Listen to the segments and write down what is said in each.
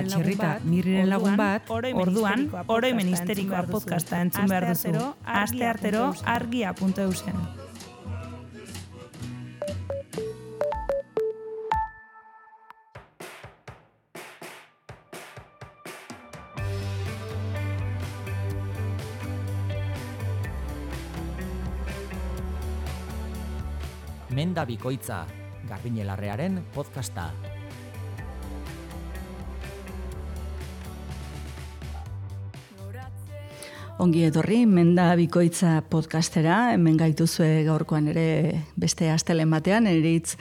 Txirrita, Mirriren lagun bat, orduan, oroimen histerikoa podcasta entzun behar duzu. Aste artero, argia.eusen. Menda Bikoitza, Garbiñelarrearen podcasta. Ongi etorri, Menda Bikoitza podcastera, hemen gaituzue gaurkoan ere beste astelen batean, Eritz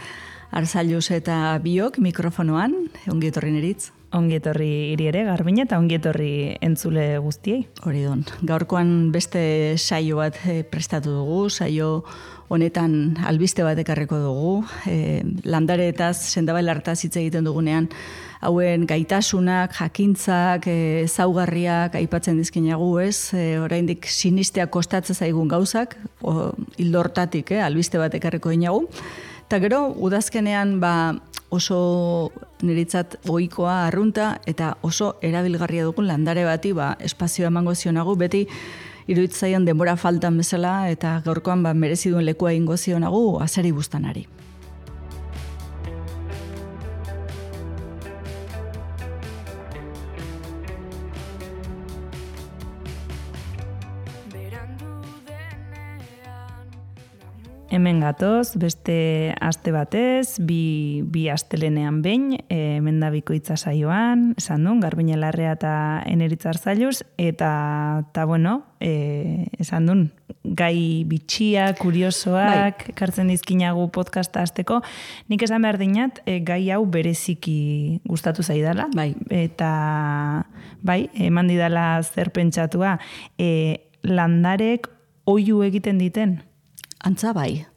Arzailuz eta biok mikrofonoan, ongi etorri Eritz. Ongi etorri hiri ere, Garbine, eta ongi etorri entzule guztiei. Hori don, gaurkoan beste saio bat prestatu dugu, saio honetan albiste bat ekarriko dugu, landareetaz, sendabailartaz hitz egiten dugunean, hauen gaitasunak, jakintzak, ezaugarriak aipatzen dizkinagu, ez? Oraindik sinisteak kostatzen zaigun gauzak, ildo hortatik, albiste bat ekarriko dinagu. Eta gero, udazkenean oso niretzat ohikoa arrunta eta oso erabilgarria dugun landare bati espazioa emango zionagu, beti iruditzaion denbora faltan bezala eta gaurkoan merezi duen lekua egingo zionagu azeri bustanari. Hemen gatoz, beste aste batez, bi astelenean behin, Menda Bikoitza saioan, esan duen, Garbiñelarrea eta Eritz Arzailuz, eta bueno, esan duen, gai bitxia, kuriosoak, ekartzen dizkinagu podcasta hasteko. Nik esan behar dinat, gai hau bereziki gustatu zaidala. Eta, eman didala zer pentsatua, landarek oihu egiten diten. Antza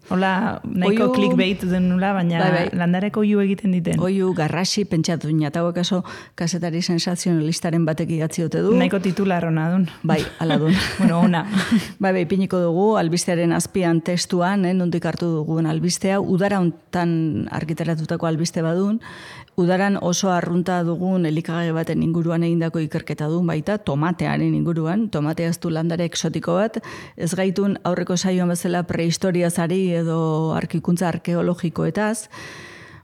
Hola, nahiko clickbait den nula, baina landareko oihu egiten diten. Oihu garrasi pentsatu dina, eta kaso kasetari sensazionalistaren batek idatzi dute du. Nahiko titular hona dun. Ala dun. Bueno, ona. Piniko dugu, albistearen azpian testuan, nondik hartu dugun albistea, udara hontan argitaratutako albiste badun, udaran oso arrunta dugun elikagai baten inguruan egindako ikerketa duen baita, tomatearen inguruan, tomatea ez du landare exotiko bat, ez gaitun aurreko saioan bezala prehistoriazari edo arkikuntza arkeologikoetaz.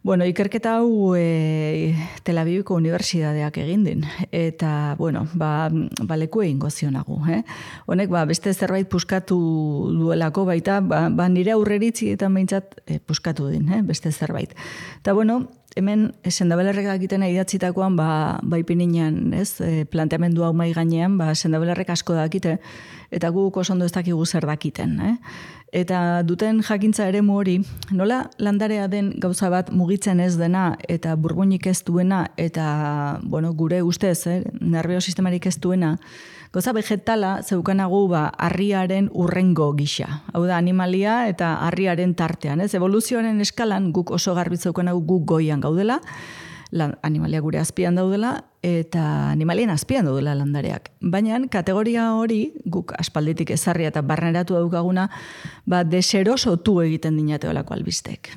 Bueno, ikerketa hau Tel Aviviko unibertsitateak egin din, eta, leku egingo zionagu. Honek, beste zerbait puskatu duelako baita, nire aurreritzietan behintzat puskatu din, beste zerbait. Eta, hemen sendabelarrek dakiten idatzitakoan, ipininean, planteamendu hau mai gainean, sendabelarrek asko dakite, eta guk oso ondo ez dakigu zer dakiten. Eta duten jakintza eremu hori, nola landarea den gauza bat mugitzen ez dena, eta burbuinik ez duena, eta, gure ustez, nervio sistemarik ez duena, gauza vegetala zeukanagu harriaren urrengo gisa. Hau da, animalia eta harriaren tartean. Evoluzioaren eskalan guk oso garbi zeukanagu guk goian gaudela, animalia gure azpian daudela, eta animalien azpian daudela landareak. Baina kategoria hori, guk aspalditik ezarria eta barneratu daukaguna, deserosotu egiten dinateolako albistek.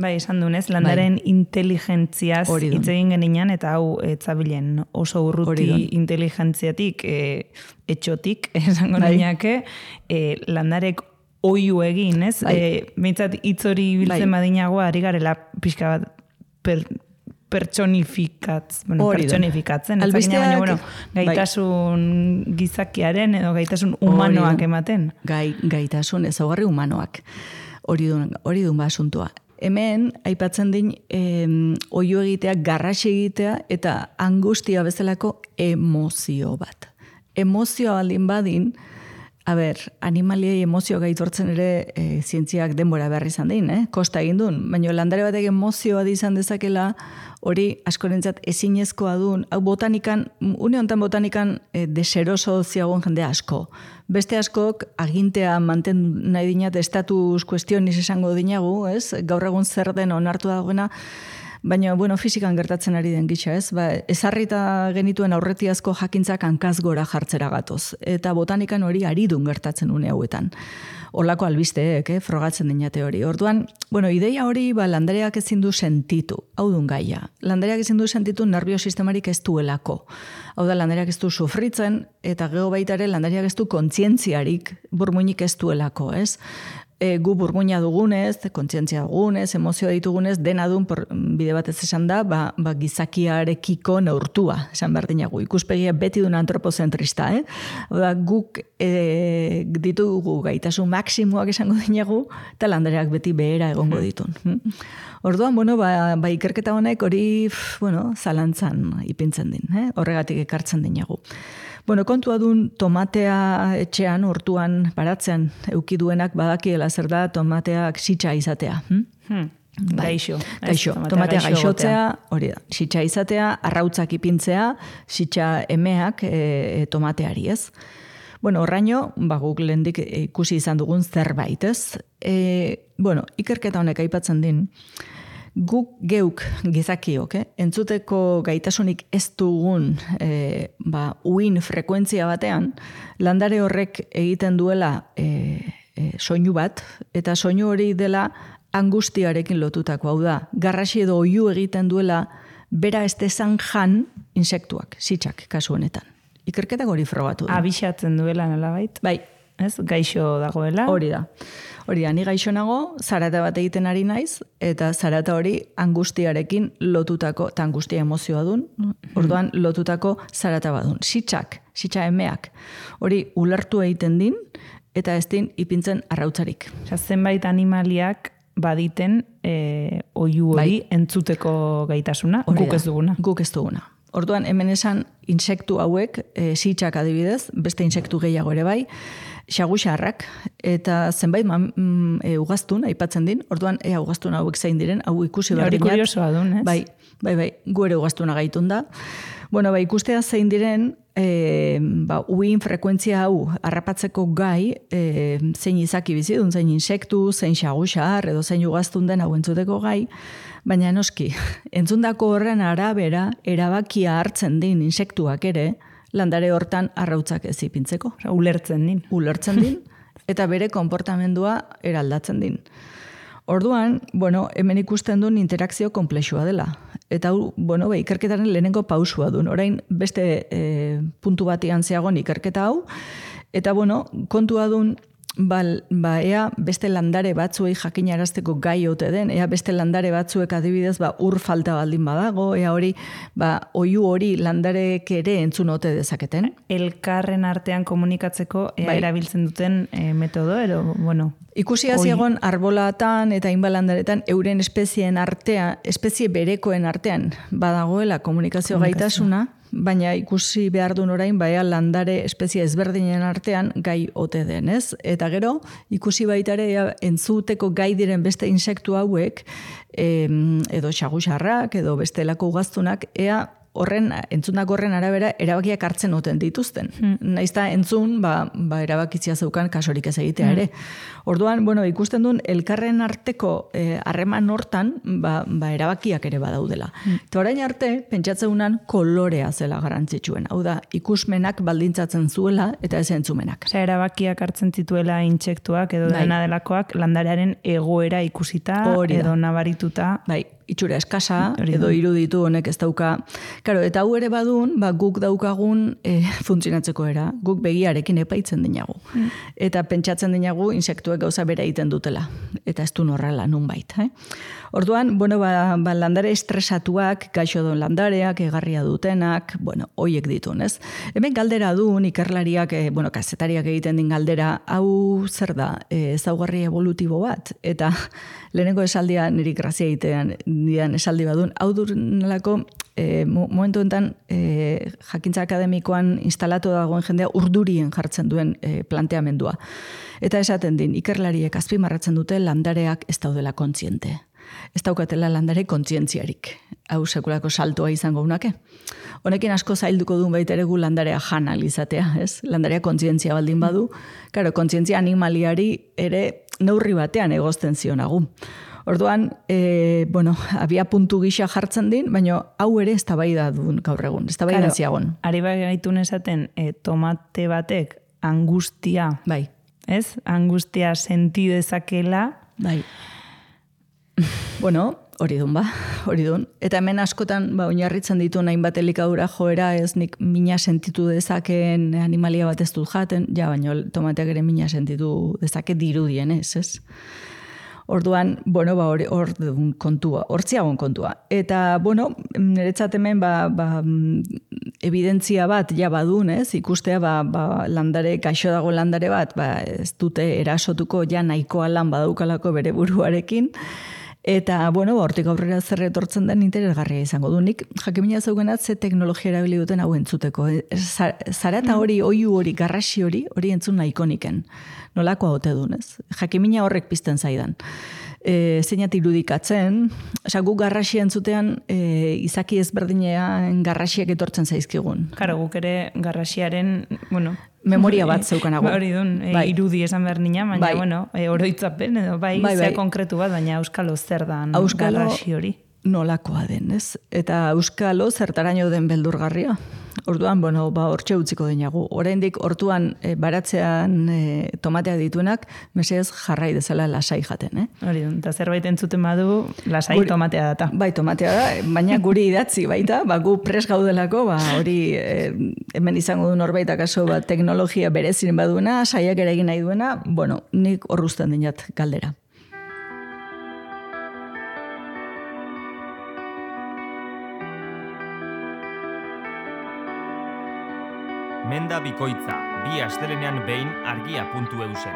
Esan dunez, landaren inteligentziaz hitz egin geninan, eta hau etzabilen oso urruti inteligentziatik, etxotik, esango niñake, landarek oihu egin, ez? Meitzat hitz hori biltzen badinago, ari garela pixka bat pertsonifikatzen. Albisteak, gaitasun gizakiaren edo gaitasun humanoak ematen. Gaitasun ezaugarri humanoak. Hori dun asuntua. Hemen, aipatzen din, oihu egitea, garrasi egitea, eta angustia bezalako emozio bat. Emozioa baldin badin, animaliei emozio gaitortzen ere zientziak denbora behar izan din, kosta egin duen, baina landare batek emozioa izan dezakela, hori askorentzat ezinezkoa duen, hau botanikan, une honetan botanikan deseroso ziagoen jende asko. Beste askok agintea mantendu nahi dinat estatus kuestioniz esango dinagu, gaur egun zer den onartu dagoena, baina, fizikan gertatzen ari den gisa, ezarrita genituen aurretiazko jakintzak hankaz gora jartzera gatoz. Eta botanikan hori aridun gertatzen une hauetan. Olako albisteek, frogatzen dinate hori. Orduan, bueno, ideia hori landareak ezin du sentitu, hau dun gaia. Landareak ezin du sentitu nerviosistemarik ez duelako. Hau da, landareak ez du sufritzen, eta gero baita ere landareak ez du kontzientziarik, burmuinik ez duelako, ez? Gu burmuina dugunez, kontzientzia dugunez, emozioa ditugunez, dena dun, bide batez esan da, gizakiarekiko neurtua, esan behar dinagu. Ikuspegia beti duen antropozentrista, Oda, guk ditugu gaitasun maksimuak esango dinagu, eta landareak beti behera egongo ditun. Orduan, bueno, ikerketa honek hori, zalantzan ipintzen din, horregatik ekartzen dinagu. Bueno, kontua dun tomatea etxean, hortuan baratzean eukiduenak badakiela zer da tomateak sitxa izatea. Gaixo. Tomatea gaixotzea, hori da. Sitxa izatea, arrautzak ipintzea, sitxa emeak tomateari, ez? Bueno, horraino, guk lehendik ikusi izan dugun zerbait, ez? Ikerketa honek aipatzen din, guk geuk gizakiok, entzuteko gaitasunik ez dugun uin frekuentzia batean, landare horrek egiten duela soinu bat, eta soinu hori dela angustiarekin lotutako, hau da, garrasi edo oihu egiten duela bera ez dezan jan insektuak, sitxak kasu honetan. Ikerketak hori frogatu du. Abixatzen duela nolabait? Bai. Ez, gaixo dagoela? Hori da, ni gaixo nago, zarata bat egiten ari naiz, eta zarata hori angustiarekin lotutako, eta angustia emozioa dun, orduan lotutako zarata badun. Sitxa emeak, hori ulertu egiten din, eta ez din ipintzen arrautzarik. Zenbait animaliak baditen oihu hori entzuteko gaitasuna, guk ez duguna. Guk ez duguna. Orduan, hemen esan insektu hauek, sitxak adibidez, beste insektu gehiago ere bai, xaguxarrak, eta zenbait ugaztun, aipatzen din, orduan, ugaztun hauek zein diren, hau ikusi behar dinat. Hori kuriosoa dun, ez? Bai, gu ere ugaztuna gaitun da. Bueno, ikustea zein diren, uin frekuentzia hau harrapatzeko gai, zein izaki bizidun, zein insektu, zein xaguxar, edo zein ugaztun den hau entzuteko gai, baina noski, entzundako horren arabera, erabakia hartzen din insektuak ere, landare hortan arrautzak ez ipintzeko. Ulertzen din, eta bere konportamendua eraldatzen din. Orduan, hemen ikusten duen interakzio komplexua dela. Eta ikerketaren lehenengo pausua duen. Orain beste puntu batian zeagon ikerketa hau. Eta kontua duen, ea beste landare batzuei jakinarazteko gai ote den, ea beste landare batzuek adibidez ur falta baldin badago, ea hori oihu hori landarek ere entzun ote dezaketen. Elkarren artean komunikatzeko erabiltzen duten metodo, Ikusi egon arbolatan eta inbalandaretan euren espezieen artean, espezie berekoen artean badagoela komunikazio gaitasuna, baina ikusi behar duen orain, landare espezie ezberdinen artean gai ote den, ez? Eta gero, ikusi baitare entzuteko gai diren beste insektu hauek, edo xaguxarrak, edo bestelako ugaztunak, ea entzundako horren arabera erabakiak hartzen oten dituzten. Naizta entzun, erabakitzia zeukan kasorik ez egitea ere. Orduan, ikusten duen elkarren arteko harreman hortan, erabakiak ere badaudela. Eta orain arte, pentsatzeunan kolorea zela garrantzitsuen. Hau da, ikusmenak baldintzatzen zuela eta ez entzumenak. Erabakiak hartzen zituela intsektuak edo dena delakoak landarearen egoera ikusita edo nabarituta. Itxura eskasa, edo iruditu honek ez dauka. Karo, eta hau ere badun, guk daukagun funtzionatzeko era, guk begiarekin epaitzen dinagu. Eta pentsatzen dinagu insektuek gauza bera egiten dutela. Eta ez du horrela nunbait. Orduan, landare estresatuak, gaixo duen landareak, egarria dutenak, hoiek ditun, ez? Hemen galdera duen, ikerlariak, kazetariak egiten din galdera, hau zer da, ezaugarri evolutibo bat, eta lehenengo esaldia niri grazia egitean dian esaldi badun, hau durenelako momentu enten jakintza akademikoan instalatu dagoen jendea urdurien jartzen duen planteamendua. Eta esaten din, ikerlariek azpimarratzen dute landareak ez daudela kontziente. Ez daukatela landare kontzientziarik. Hau sekulako saltoa izango unake. Honekin asko zailduko duen baita ere gu landarea janal izatea, ez? Landarea kontzientzia baldin badu, karo, kontzientzia animaliari ere neurri batean egozten zionagu. Orduan, abia puntu gisa jartzen din, baina hau ere ez tabaida duen gaur egun, ez tabaida ziagon. Ari gaitun esaten, tomate batek angustia ez? Angustia senti dezakela. Bai. Bueno, hori dun. Eta hemen askotan, oinarritzen ditu hainbat elikadura joera, ez nik mina sentitu dezakeen animalia bat ez dut jaten, baina tomateak ere mina sentitu dezake dirudien, ez? Orduan, hortziagon kontua. Eta, niretzat hemen, evidentzia bat ja badun, ez? Ikustea, landare, gaixo dago landare bat, ez dute erasotuko ja nahikoa lan badaukalako bere buruarekin. Eta, hortik aurrera zer etortzen den interesgarria izango du. Nik jakimina zeugenat ze teknologia erabili duten hau entzuteko. Zarata hori, oiu hori, garrasi hori entzun nahiko niken. Nolako haute duen, ez? Jakimina horrek pizten zaidan. Zeinat irudikatzen, guk garrasi entzutean izaki ezberdinean garrasiak etortzen zaizkigun. Karo, guk ere garrasiaren, memoria bat zeukanago. Hori dun, irudi esan behar nina, baina, oroitzapen, edo zea konkretu bat, baina euskalo zer dan garrasi hori. Nolakoa den, ez? Eta euskalo zertaraino den beldurgarria. Orduan, hortxe utziko dinagu. Oraindik hortuan baratzean tomatea dituenak, mesedez jarrai dezala lasai jaten, Hori dun, eta zerbait entzuten badu, lasai tomatea data. Bai, tomatea da, baina guri idatzi baita, gu pres gaudelako, hori hemen izango du norbait akaso teknologia bereziren baduna, saiak ere egin nahi duena, nik horruzten dinat galdera. Menda bikoitza, bi astelenean behin argia.eusen.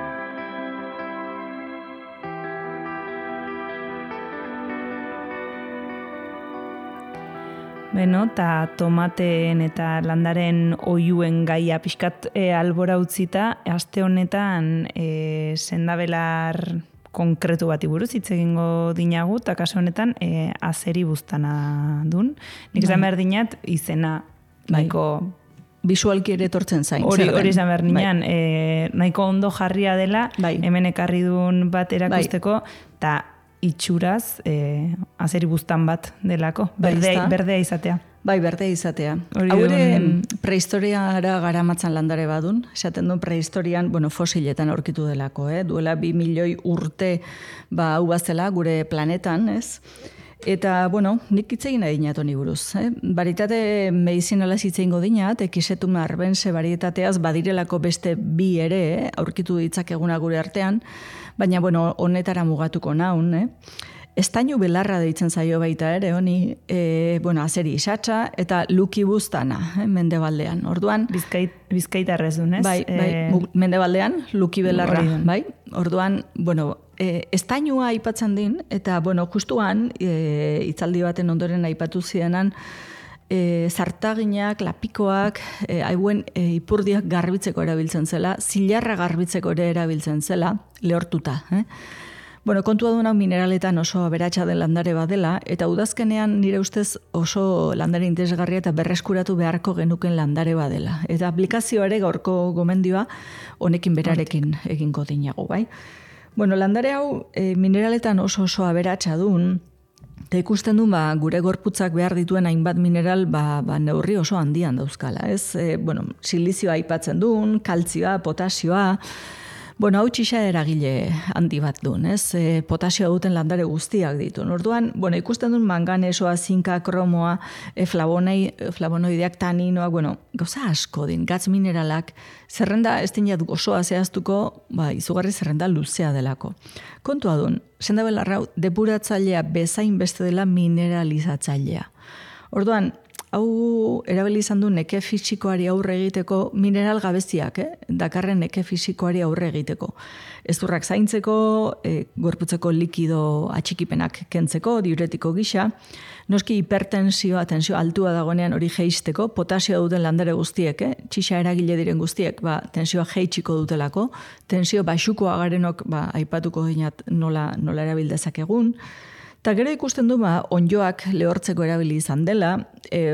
Eta tomateen eta landaren oiuen gaia pixkat albora utzita, aste honetan sendabelar konkretu bati buruz hitz egingo dinagu, eta kasu honetan azeri buztana dun. Nik esan behar dinat izena nahiko bisualki ere etortzen zain. Hori izan behar nian, nahiko ondo jarria dela, hemen ekarri duen bat erakusteko, eta itxuraz azeri buztan bat delako, berdea izatea. Bai, berdea izatea. Haure prehistoriara garamatzan landare badun, esaten duen prehistorian, fosiletan aurkitu delako, duela 2 milioi urte hau bazela gure planetan, ez? Eta, nik itzegin nahi dinat honi buruz. Baritate medizinala zitzeingo dinat, ekisetum arbense barietateaz badirelako beste bi ere, aurkitu ditzakeguna gure artean, baina, honetara mugatuko naun, Estainu belarra deitzen zaio baita ere, honi, azeri isatsa eta luki buztana, mendebaldean. Orduan, Bizkaitarrez dun, ez? Bai, mendebaldean, luki belarra, bai. Orduan, estainua aipatzen din, eta, justuan, hitzaldi baten ondoren aipatu zidenan, zartaginak, lapikoak, hauen ipurdiak garbitzeko erabiltzen zela, zilarra garbitzeko ere erabiltzen zela, lehortuta, kontua duna mineraletan oso aberatsa den landare badela, eta udazkenean nire ustez oso landare interesgarria eta berreskuratu beharko genuken landare badela. Eta aplikazioa ere gaurko gomendioa honekin berarekin egingo dinago, bai? Landare hau mineraletan oso aberatsa dun, eta ikusten du gure gorputzak behar dituen hainbat mineral neurri oso handian dauzkala, ez? Silizioa aipatzen duen, kaltzioa, potasioa, hau txixa eragile handi bat duen, ez? Potasioa duten landare guztiak ditu. Orduan, ikusten duen manganesoa, zinka, kromoa, flavonoideak, taninoak, gauza asko din, gatz mineralak, zerrenda ez dinat gozoa zehaztuko, izugarri zerrenda luzea delako. Kontua duen, sendabelarra depuratzailea bezain beste dela mineralizatzailea. Orduan, hau erabili izan du neke fisikoari aurre egiteko mineral gabeziak, dakarren neke fisikoari aurre egiteko. Ezurrak zaintzeko, gorputzeko likido atxikipenak kentzeko, diuretiko gisa, noski hipertensioa, tensio altua dagoenean hori jeisteko, potasioa duten landare guztiek, txixa eragile diren guztiek, tensioa jeitsiko dutelako, tensio baxukoa garenok, aipatuko dinat nola erabildezak egun, eta gero ikusten du, onjoak lehortzeko erabili izan dela,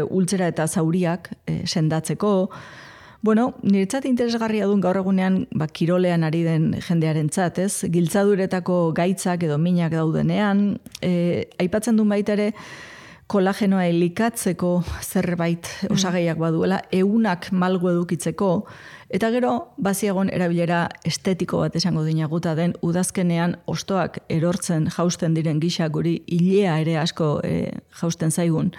ultzera eta zauriak sendatzeko. Niretzat interesgarria duen gaur egunean kirolean ari den jendearen txat, ez? Giltzaduretako gaitzak edo minak daudenean, aipatzen duen baita ere, kolagenoa elikatzeko zerbait osagaiak baduela, eunak malgu edukitzeko, eta gero, baziagon erabilera estetiko bat esango dinaguta den, udazkenean ostoak erortzen jausten diren gisa guri ilea ere asko jausten zaigun.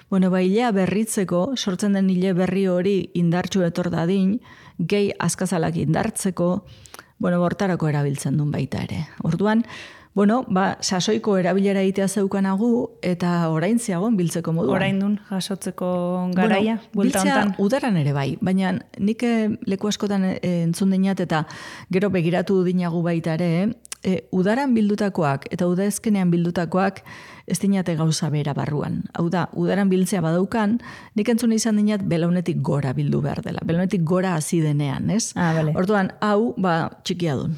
Bueno, ilea berritzeko, sortzen den ile berri hori indartsu etor dadin, gehi azkazalak indartzeko, bortarako erabiltzen duen baita ere. Orduan, sasoiko erabilera egitea zeukanagu eta orain ziagon biltzeko moduan. Orain dun jasotzeko garaia, buelta hontan. Biltzea udaran ere bai, baina nik leku askotan entzun dinat eta gero begiratu dinagu baita ere, udaran bildutakoak eta udazkenean bildutakoak ez dinate gauza bera barruan. Hau da, udaran biltzea badaukan, nik entzun izan dinat belaunetik gora bildu behar dela. Belaunetik gora hasi denean, ez? Vale. Orduan, hau, txikia dun.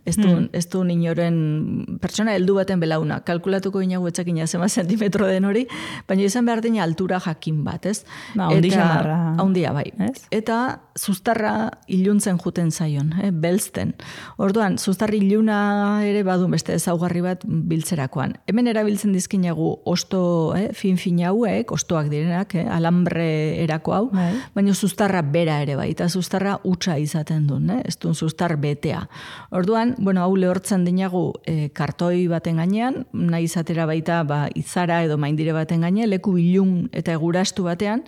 Ez du inoren pertsona heldu baten belauna. Kalkulatuko inagu etzakina zema zentimetro den hori, baina izan behar dina altura jakin bat, ez? Haundi xamarra. Haundia, bai. Ez? Eta zuztarra iluntzen juten zaion, belzten. Orduan, zuztarri iluna ere badun beste ezaugarri bat biltzerakoan. Hemen erabiltzen dizkinagu osto fin hauek, ostoak direnak, alambre erako hau, baina zuztarra bera ere bai, eta zuztarra utza izaten duen, ez duen zuztar betea. Orduan, hau lehortzen dinagu kartoi baten gainean, nahi izatera baita izara edo maindire baten gainean, leku ilun eta egurastu batean,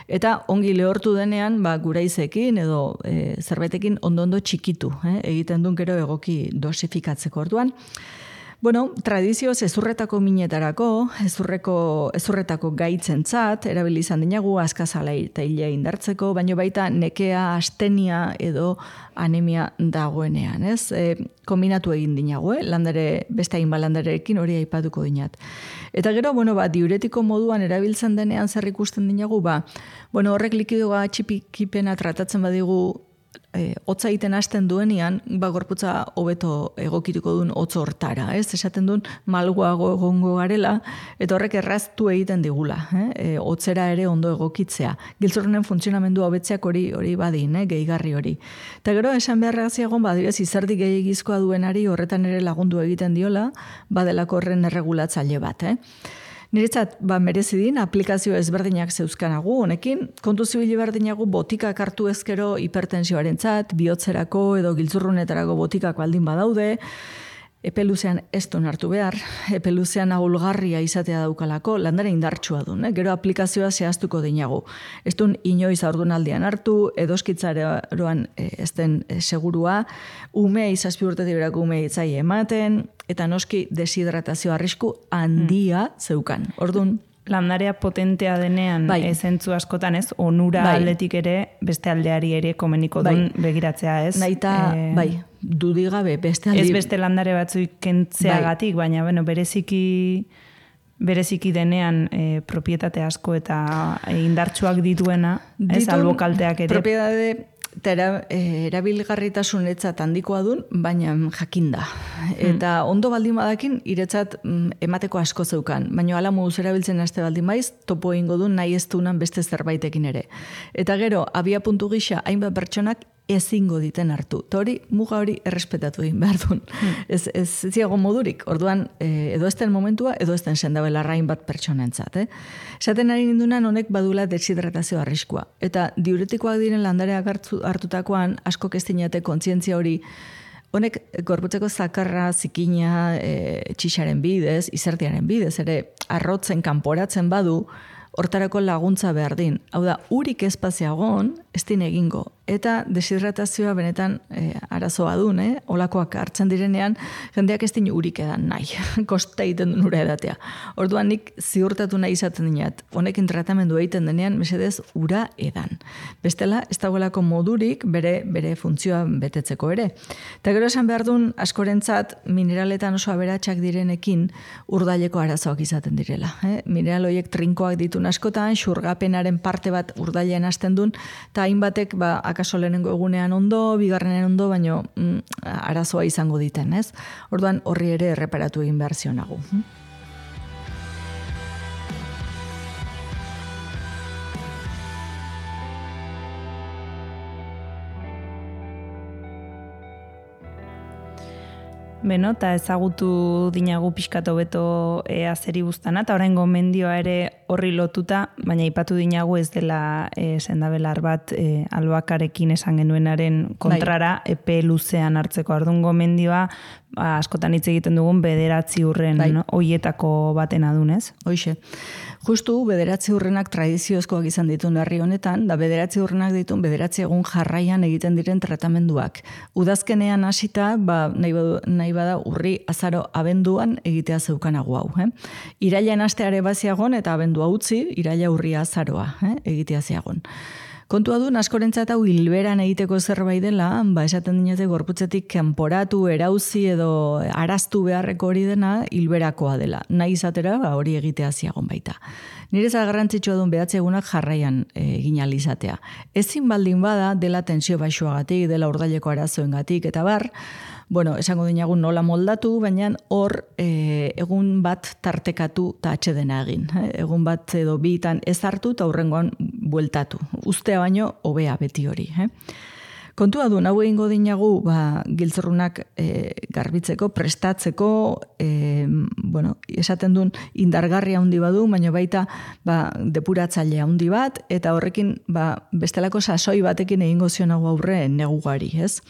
eta ongi lehortu denean, guraizekin edo zerbaitekin ondo txikitu, egiten duen gero egoki dosifikatzeko. Orduan, tradizioz ezurretako minetarako, ezurretako gaitzentzat, erabili izan dinagu, azkazala eta hilea indartzeko, baino baita nekea, astenia edo anemia dagoenean, ez? Kombinatu egin dinagu, beste hainba landarekin hori aipatuko dinat. Eta gero, diuretiko moduan erabiltzen denean zer ikusten dinagu, horrek likidoa txipikipena tratatzen badigu hotza egiten hasten duenean, gorputza hobeto egokituko duen hotz hortara, ez? Esaten duen malguago egongo garela, eta horrek erraztu egiten digula, hotzera ere ondo egokitzea. Giltzurrunen funtzionamendu hobetzeak hori badin, gehigarri hori. Eta gero, esan beharra ziagon, badirez, izerdi gehiagizkoa duenari horretan ere lagundu egiten diola, badelako horren erregulatzaile bat, Niretzat, merezidin, aplikazio ezberdinak zeuzkanagu, honekin, kontu zibili berdinagu botikak hartu ezkero hipertensioaren zat, bihotzerako edo giltzurrunetarako botikak baldin badaude, epeluzean ez duen hartu behar, epeluzean ahulgarria izatea daukalako, landare indartsua duen, gero aplikazioa zehaztuko dinagu. Ez duen inoiz aurdunaldian hartu, edoskitzaroan ez den segurua, izazpi urtetik berako itzai ematen, eta noski deshidratazio arrisku handia zeukan. Orduan, landarea potentea denean zentzu askotan ez, onura aldetik ere, beste aldeari ere komeniko duen begiratzea ez. Naita, dudigabe, beste aldi. Ez beste landare batzuik kentzeagatik, baina bereziki denean propietate asko eta indartsuak dituena, ez albokalteak ere. Propietate eta erabilgarritasunetzat handikoa dun, baina jakinda. Eta ondo baldin badakin, iretzat emateko asko zeukan. Baina ala moduz erabiltzen haste baldin baiz, topo egingo dun nahi ez dunan beste zerbaitekin ere. Eta gero, abia puntu gisa, hainbat pertsonak ezingo diten hartu. Ta hori, muga hori errespetatu egin behar duen. Ez ziago modurik. Orduan, edo ezten momentua, edo ezten sendabela rain bat pertsonentzat. Esaten ari nindunan, honek badula deshidratazio arriskua. Eta diuretikoak diren landareak hartutakoan, asko kestinate kontzientzia hori, honek gorputzeko zakarra, zikina, txixaren bidez, izertiaren bidez, ere arrotzen, kanporatzen badu, hortarako laguntza behar din. Hau da, urik espaziagon, ez din egingo. Eta deshidratazioa benetan arazoa dun, olakoak hartzen direnean, jendeak ez din urik edan nahi. Kosta egiten duen ura edatea. Orduan nik ziurtatu nahi izaten dinat. Honekin tratamendu egiten denean, mesedez, ura edan. Bestela, ez dagoelako modurik bere funtzioa betetzeko ere. Eta gero esan behar duen, askorentzat, mineraletan oso aberatsak direnekin urdaileko arazoak izaten direla. Mineral horiek trinkoak ditun askotan, xurgapenaren parte bat urdailean hasten duen, eta hainbatek akaso lehenengo egunean ondo, bigarrenen ondo, baino arazoa izango diten, ez? Orduan horri ere erreparatu egin behar zionagu. Beno, eta ezagutu dinagu pixkatu beto zeri buztana, eta orain gomendioa ere horri lotuta, baina ipatu dinagu ez dela sendabelar bat albakarekin esan genuenaren kontrara, epe luzean hartzeko ardun gomendioa, askotan hitz egiten dugun 9 urren hoietako baten adunez. Hoixe. Justu 9 urrenak tradiziozkoak izan ditun herri honetan, da 9 urrenak ditun 9 egun jarraian egiten diren tratamenduak. Udazkenean hasita, nahi bada urri, azaro, abenduan egitea zeukanago hau. Irailean asteare baziagon eta abendua utzi, iraila urri azaroa egitea ziagon. Kontua du, askorentzat hau hilberan egiteko zerbait dela, esaten dinete gorputzetik kanporatu, erauzi edo araztu beharreko hori dena hilberakoa dela. Nahi izatera hori egitea ziagon baita. Nireza garrantzitsua duen 9 egunak jarraian egin ahal izatea. Ezin baldin bada dela tensio baixuagatik, dela urdaileko arazoengatik eta bar, esango dinagu nola moldatu, baina hor egun bat tartekatu eta atxedena egin. Egun bat edo bitan ez hartu eta hurrengoan bueltatu. Ustea baino hobea beti hori. Kontua du, hau egingo dinagu giltzurrunak garbitzeko, prestatzeko, esaten duen indargarria handi badu, baina baita depuratzailea handi bat, eta horrekin bestelako sasoi batekin egingo zionago aurre negugari, ez?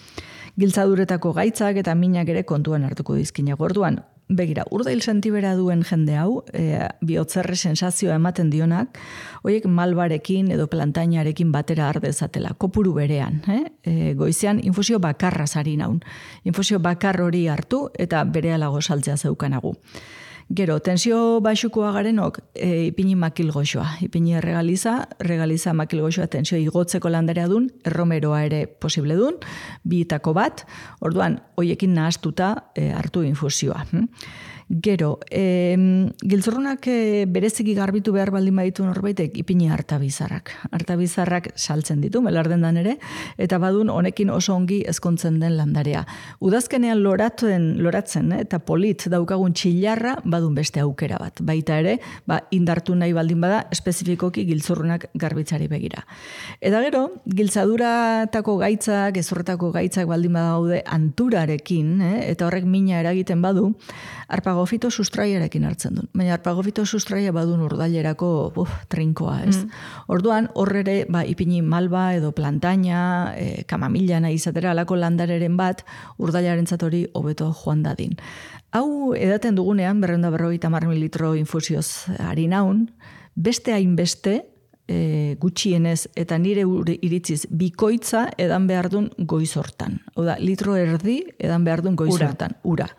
Giltzaduretako gaitzak eta minak ere kontuan hartuko dizkinak. Orduan, begira, urdail sentibera duen jende hau, bihotzerre sensazioa ematen dionak, horiek malbarekin edo plantainarekin batera ardezatela, kopuru berean. Goizean infusio bakarra zari naun. Infusio bakar hori hartu eta berealago saltzea zeukanagu. Gero, tensio baixukoa garenok ipini makilgoxoa. Ipini regaliza makilgoxoa tensio igotzeko landarea dun, erromeroa ere posible dun, bietako bat, orduan, hoiekin nahastuta hartu infusioa. Gero, giltzurrunak bereziki garbitu behar baldin baditu norbaitek ipini hartabizarrak. Hartabizarrak saltzen ditu, melardendan ere, eta badun honekin oso ongi ezkontzen den landarea. Udazkenean loratzen eta polit daukagun txilarra badun beste aukera bat. Baita ere, indartu nahi baldin bada, espezifikoki giltzurrunak garbitzari begira. Eta gero, giltzaduratako gaitzak, gezurretako gaitzak baldin badaude anturarekin, eta horrek mina eragiten badu, arpagofito sustraiarekin hartzen duen. Baina arpagofito sustraia badun urdailerako trinkoa, ez? Orduan, horrere, ipini malba edo plantaina, kamamila nahi izatera alako landareren bat, urdailaren hori hobeto joan dadin. Hau edaten dugunean, 250 mililitro infusioz ari naun, beste hainbeste, gutxienez eta nire iritziz bikoitza edan behar duen goiz hortan. Oda, litro erdi edan behar duen goiz hortan. Ura.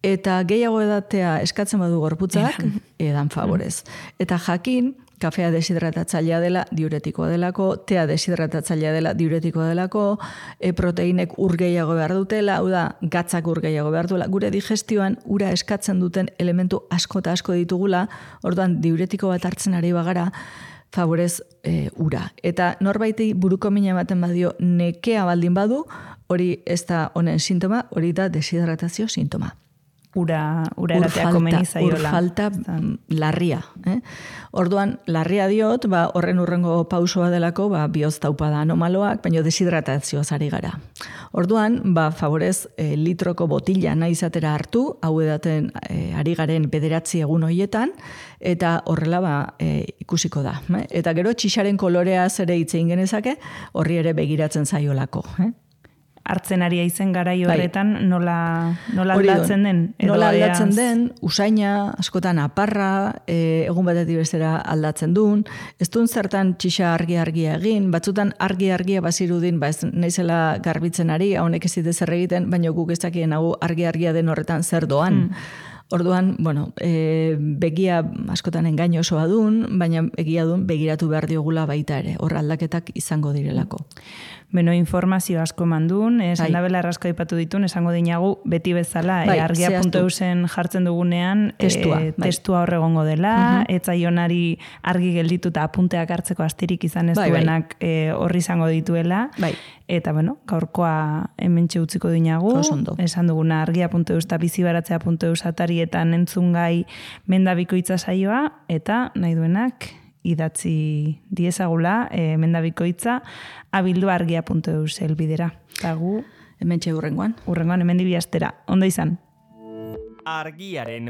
Eta gehiago edatea eskatzen badu gorputzak, edan favorez. Eta jakin, kafea deshidratatzailea dela, diuretikoa delako, tea deshidratatzailea dela, diuretikoa delako, proteinek ur gehiago behar dutela, gatzak ur gehiago behar duela. Gure digestioan ura eskatzen duten elementu asko eta asko ditugula, orduan diuretiko bat hartzen ari bagara, favorez ura. Eta norbaiti buruko mina ematen badio nekea baldin badu, hori ez da honen sintoma, hori da deshidratazio sintoma. Ura eratea komeni zaiola. Ur falta larria. Orduan, larria diot, horren urrengo pausoa delako, bihotz taupada anomaloak, baina deshidratazioa zari gara. Orduan, favorez, litroko botila nahi izatera hartu, hau edaten ari garen 9 egun hoietan, eta horrela ikusiko da. Eta gero, txixaren koloreaz ere hitzein genezake, horri ere begiratzen zaiolako. Hartzen ari aizen garai horretan nola aldatzen den? Nola aldatzen den, usaina, askotan aparra, egun batetik bestera aldatzen duen, ez duen zertan txixa argia egin, batzutan argia bazirudin, ez naizela garbitzen ari, honek ez dite zer egiten, baina guk ez dakien hau argia den horretan zer doan. Orduan, begia askotan engaino osoa duen, baina egia duen begiratu behar diogula baita ere, hor aldaketak izango direlako. Beno, informazio asko mandun, sendabela errasko ipatu ditun, esango dinagu beti bezala, argia.eusen jartzen dugunean, testua horregongo dela, etzaionari argi geldituta apunteak hartzeko astirik izan ez duenak horri izango dituela, eta gaurkoa hementxe utziko dinagu, esan duguna argia.eus eta bizibaratzea.eus atarietan entzungai mendabikoitza saioa, eta nahi duenak idatzi diezagula mendabikoitza abilduargia.eus elbidera. Eta gu Hementxe hurrengoan. Hurrengoan hemen bi astera. Ondo izan. Argiaren